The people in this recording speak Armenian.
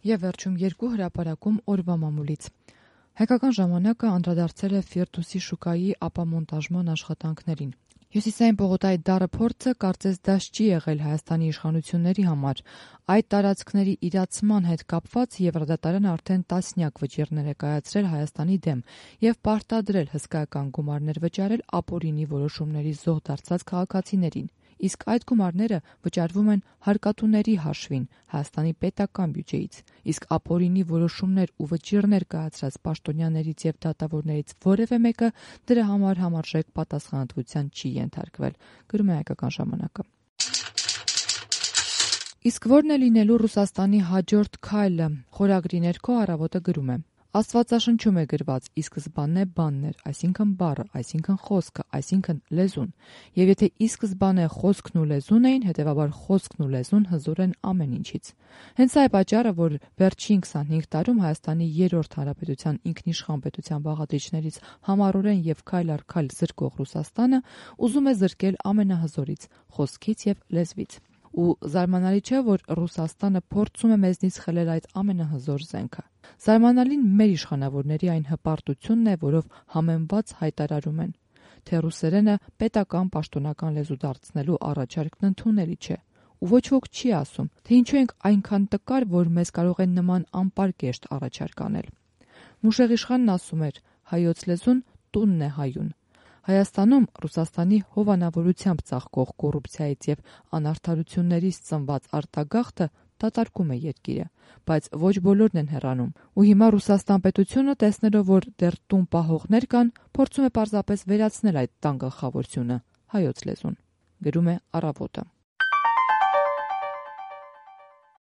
Եվ վերջում երկու հրապարակում օրվա մամուլից։ Հայկական ժամանակը անդրադարձել է Ֆիրդուսի շուկայի ապամոնտաժման աշխատանքներին։ Հյուսիսային պողոտայի դառը փորձը կարծես դաշ չի եղել Հայաստանի իշխանությունների համար։ Այդ տարածքների իրացման հետ կապված Եվրադատարանը արդեն տասնյակ վճիռներ է կայացրել Հայաստանի դեմ եւ պարտադրել հսկայական գումարներ վճարել ապօրինի որոշումների զոհ դարձած քաղաքացիներին։ Իսկ այդ գումարները վճարվում են հարկատուների հաշվին Հայաստանի պետական բյուջեից, իսկ ապօրինի որոշումներ ու վճիռներ կայացրած պաշտոնյաներից եւ դատավորներից որևէ մեկը դրա համար համարժեք պատասխանատվության չի ենթարկվել, գրում է Հայկական ժամանակը։ Իսկ ո՞րն է լինելու Ռուսաստանի հաջորդ քայլը, խորագրի ներքո Առավոտը գրում է. Աստվածաշնչում է գրված՝ ի սկզբանե բանն էր, այսինքն բառը, այսինքն խոսքը, այսինքն լեզուն։ Եվ եթե ի սկզբանե խոսքն ու լեզուն էին, հետևաբար խոսքն ու լեզուն հզոր են ամեն ինչից։ Հենց սա է պատճառը, որ վերջին 25 տարում Հայաստանի երրորդ հանրապետության ինքնիշխան պետության բաղադրիչներից համառորեն եւ քայլ առ քայլ զրկող Ռուսաստանը ուզում է զրկել ամենահզորից՝ խոսքից եւ լեզվից։ Ու զարմանալի չէ, որ Ռուսաստանը փորձում է մեզնից խլել այդ ամենահզոր զենքը։ Զարմանալին մեր իշխանավորների այն հպարտությունն է, որով համեմված հայտարարում են, թե ռուսերենը պետական պաշտոնական լեզու դարձնելու առաջարկն ընդունելի չէ։ Ու ոչ ոք չի ասում, թե ինչու ենք այնքան տկար, որ մեզ կարող են նման անպարկեշտ առաջարկ անել։ Մուշեղիշխանն ասում էր. հայոց լեզուն տունն է հայուն։ Հայաստանում Ռուսաստանի հովանավորությամբ ծաղկող կոռուպցիայից եւ անարդարություններից ծնված արտագաղթը դատարկում է երկիրը, բայց ոչ բոլորն են հեռանում։ Ու հիմա Ռուսաստան պետությունը, տեսնելով, որ դեռ տուն պահողներ կան, փորձում է պարզապես վերացնել այդ տան գլխավորությունը՝ հայոց լեզուն, գրում է Առավոտը։